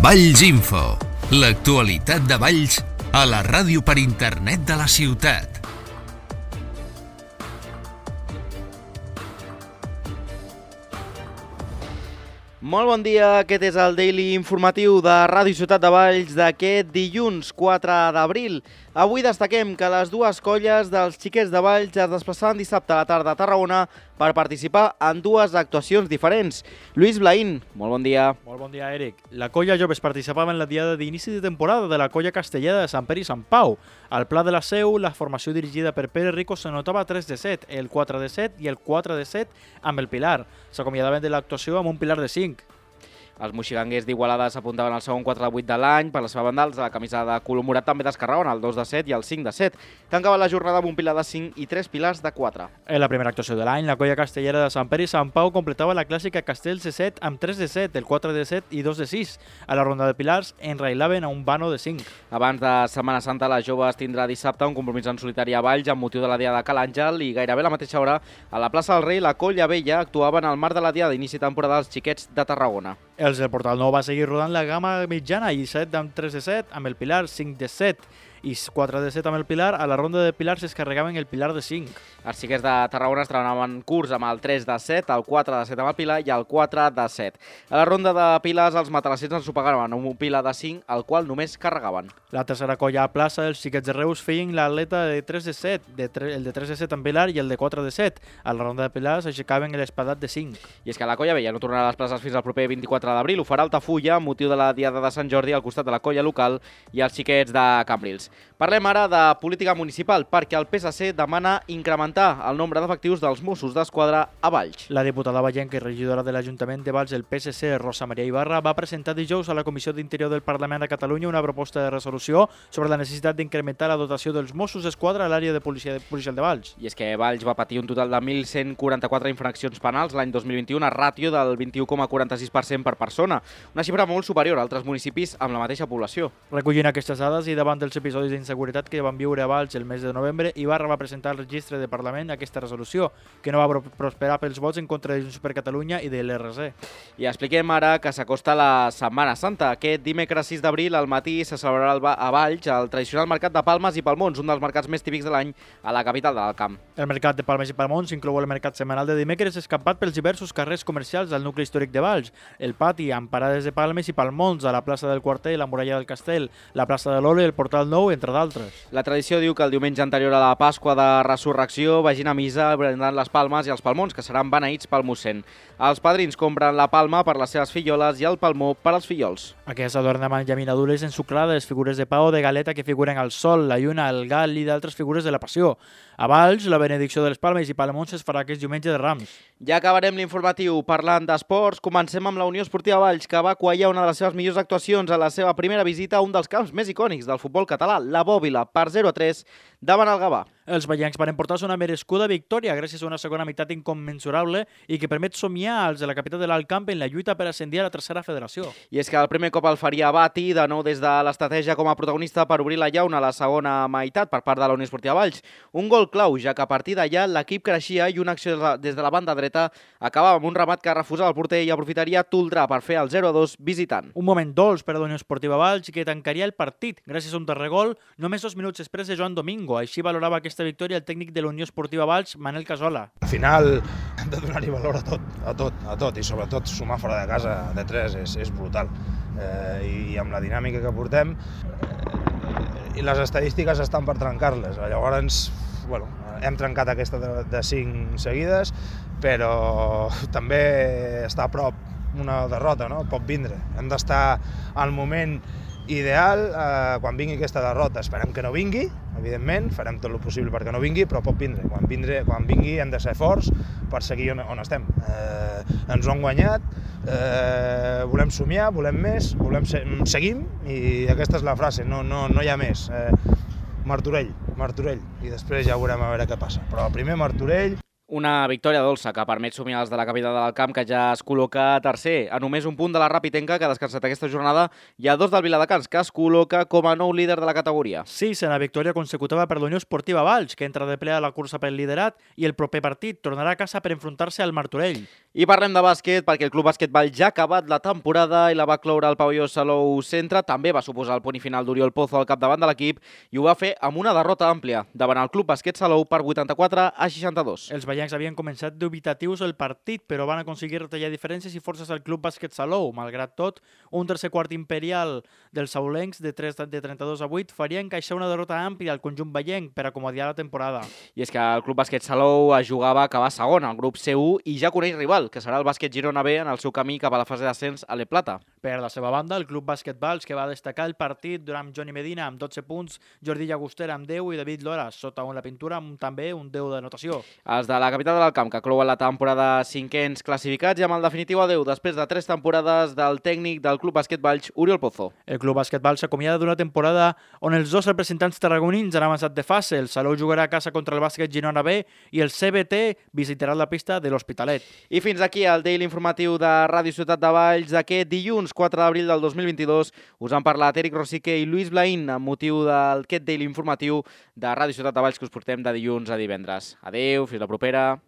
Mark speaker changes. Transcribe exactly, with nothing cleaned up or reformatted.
Speaker 1: Valls Info, l'actualitat de Valls a la ràdio per internet de la ciutat.
Speaker 2: Molt bon dia, aquest és el Daily Informatiu de Ràdio Ciutat de Valls d'aquest dilluns quatre d'abril. Avui destaquem que les dues colles dels xiquets de Valls es desplaçaven dissabte a la tarda a Tarragona per participar en dues actuacions diferents. Lluís Blaín, molt bon dia.
Speaker 3: Molt bon dia, Eric. La colla Joves participava en la diada d'inici de temporada de la colla castellera de Sant Pere i Sant Pau. Al Pla de la Seu, la formació dirigida per Pere Rico se notava tres de set, el quatre de set i el quatre de set amb el Pilar. S'acomiadaven de l'actuació amb un Pilar de cinc.
Speaker 2: Els moxiganguers d'Igualada s'apuntaven al segon quatre de vuit de l'any. Per la seva banda, els de la camisa de color morat també descarregaven el dos de set i el cinc de set. Tancava la jornada amb un pilar de cinc i tres pilars de quatre.
Speaker 3: En la primera actuació de l'any, la colla castellera de Sant Pere i Sant Pau completava la clàssica Castells de set amb tres de set, el quatre de set i dos de sis. A la ronda de pilars enrailaven a un vano de cinc.
Speaker 2: Abans de Setmana Santa, la Joves tindrà dissabte un compromís en solitari a Valls amb motiu de la Diada de Cal Àngel i gairebé a la mateixa hora a la plaça del Rei la colla vella actuava en el marc de la Diada d'inici de temporada dels xiquets de Tarragona.
Speaker 3: Els del Portal Nou va seguir rodant la gamma mitjana i set amb tres de set, amb el Pilar cinc de set i quatre de set amb el Pilar. A la ronda de Pilars es carregaven el Pilar de cinc.
Speaker 2: Els xiquets de Tarragona es treballaven curs amb el tres de set, el quatre de set amb el Pilar i el quatre de set. A la ronda de Pilars els matalassers ens supagaven amb un Pilar de cinc, el qual només carregaven.
Speaker 3: La tercera colla a plaça, els xiquets de Reus feien l'atleta de tres de set, de tre el de tres de set amb Pilar i el de quatre de set. A la ronda de Pilars aixecaven l'espadat de cinc.
Speaker 2: I és que la colla vella no tornarà a les places fins al proper vint-i-quatre d'abril. Ho farà Altafulla amb motiu de la Diada de Sant Jordi al costat de la colla local i els xiquets de Cambrils. Parlem ara de política municipal perquè el P S C demana incrementar el nombre d'efectius dels Mossos d'Esquadra a Valls.
Speaker 3: La diputada vallenca i regidora de l'Ajuntament de Valls, el P S C, Rosa Maria Ibarra, va presentar dijous a la Comissió d'Interior del Parlament de Catalunya una proposta de resolució sobre la necessitat d'incrementar la dotació dels Mossos d'Esquadra a l'àrea de policia policial de Valls.
Speaker 2: I és que Valls va patir un total de mil cent quaranta-quatre infraccions penals l'any dos mil vint-i-u, una ràtio del vint-i-u coma quaranta-sis per cent per persona, una xifra molt superior a altres municipis amb la mateixa població.
Speaker 3: Recollint aquestes dades i davant dels episodis d'inseguretat que van viure a Valls el mes de novembre, Ibarra va presentar al registre de Parlament aquesta resolució, que no va prosperar pels vots en contra de Junts per Catalunya i de l'R C.
Speaker 2: I expliquem ara que s'acosta la Setmana Santa. Aquest dimecres sis d'abril al matí se celebrarà a Valls el tradicional mercat de Palmes i Palmons, un dels mercats més típics de l'any a la capital de l'Alt Camp.
Speaker 3: El mercat de Palmes i Palmons inclou el mercat setmanal de dimecres escampat pels diversos carrers comercials del nucli històric de Valls, el pati amb parades de palmes i palmons a la plaça del Quarter, la muralla del Castell, la plaça de l'Ole i el Portal Nou, entre d'altres.
Speaker 2: La tradició diu que el diumenge anterior a la Pasqua de Resurrecció vagin a missa brindant les palmes i els palmons, que seran beneïts pel mossèn. Els padrins compren la palma per les seves filloles i el palmó per als fillols.
Speaker 3: Aquest adorn amb llaminadures ensucrades, figures de pa o de galeta que figuren al sol, la lluna, el gal i d'altres figures de la passió. A Valls, la benedicció de les palmes i palmons es farà aquest diumenge de Rams.
Speaker 2: Ja acabarem l'informatiu parlant d'esports. Comencem amb la Unió Esportiva Valls, que va quallar una de les seves millors actuacions a la seva primera visita a un dels camps més icònics del futbol català, la Bòbila, per zero a tres davant el Gavà.
Speaker 3: Els vallencs van emportar-se una merescuda victòria gràcies a una segona meitat incommensurable i que permet somiar als de la capital de l'Alt Camp en la lluita per ascendir a la tercera federació.
Speaker 2: I és que el primer cop el faria Bati, de nou des de l'estratègia com a protagonista per obrir la llauna a la segona meitat per part de la Unió Esportiva Valls. Un gol clau, ja que a partir d'allà l'equip creixia i una acció des de la banda dreta acabava amb un remat que refusava el porter i aprofitaria Toldrà per fer el zero a dos visitant.
Speaker 3: Un moment dolç per a la Unió Esportiva Valls que tancaria el partit gràcies a un darrer gol només dos minuts després de Joan Domingo. Així valorava aquesta victòria el tècnic de la Unió Esportiva Valls, Manel Casola.
Speaker 4: Al final hem de donar-hi valor a tot, a tot, a tot, i sobretot sumar fora de casa de tres és, és brutal. Eh, I amb la dinàmica que portem, eh, i les estadístiques estan per trencar-les. Llavors, bueno, hem trencat aquesta de, de cinc seguides, però també està a prop una derrota, no? Pot vindre. Hem d'estar al moment ideal eh, quan vingui aquesta derrota. Esperem que no vingui, evidentment, farem tot el possible perquè no vingui, però pot vindre. Quan, vindre, quan vingui hem de ser forts per seguir on, on estem. Eh, ens ho han guanyat, eh, volem somiar, volem més, volem se seguim, i aquesta és la frase, no, no, no hi ha més. Eh, Martorell, Martorell, i després ja veurem a veure què passa. Però primer Martorell.
Speaker 2: Una victòria dolça que permet somiar els de la capital del camp, que ja es col·loca tercer. A només un punt de la Rapitenca, que ha descansat aquesta jornada, hi ha dos del Viladecans, que es col·loca com a nou líder de la categoria.
Speaker 3: Sisena victòria consecutiva per la Unió Esportiva Valls, que entra de ple a la cursa pel liderat i el proper partit tornarà a casa per enfrontar-se al Martorell.
Speaker 2: I parlem de bàsquet, perquè el Club Bàsquet Valls ja ha acabat la temporada i la va cloure al pavelló Salou Centre. També va suposar el punt i final d'Oriol Pozo al capdavant de l'equip i ho va fer amb una derrota àmplia davant el Club Bàsquet Salou per vuitanta-quatre a seixanta-dos.
Speaker 3: Els baians havien començat dubitatius el partit, però van aconseguir retallar diferències i forces al Club Bàsquet Salou. Malgrat tot, un tercer quart imperial dels saulencs de trenta-dos a vuit faria encaixar una derrota àmplia al conjunt baienc per acomodar la temporada.
Speaker 2: I és que el Club Bàsquet Salou es jugava a acabar segon al grup C u i ja coneix rival, que serà el Bàsquet Girona B en el seu camí cap a la fase d'ascens a l'E Plata.
Speaker 3: Per la seva banda, el Club Bàsquet Valls, que va destacar el partit durant Johnny Medina amb dotze punts, Jordi Llagostera amb deu i David Lora sota un la pintura amb també un deu de notació.
Speaker 2: Els de la capital del camp, que clouen la temporada cinquens classificats i amb el definitiu adeu després de tres temporades del tècnic del Club Bàsquet Valls, Oriol Pozo.
Speaker 3: El Club Bàsquet Valls s'acomiada d'una temporada on els dos representants tarragonins han avançat de fase. El Salou jugarà a casa contra el Bàsquet Girona B i el C B T visitarà la pista de l'Hospitalet.
Speaker 2: I fins aquí el Daily informatiu de Ràdio Ciutat de Valls d'aquest dilluns quatre d'abril del dos mil vint-i-dos. Us han parlat Eric Rosique i Lluís Blaín amb motiu d'aquest Daily informatiu de Ràdio Ciutat de Valls que us portem de dilluns a divendres. Adeu, fins la propera.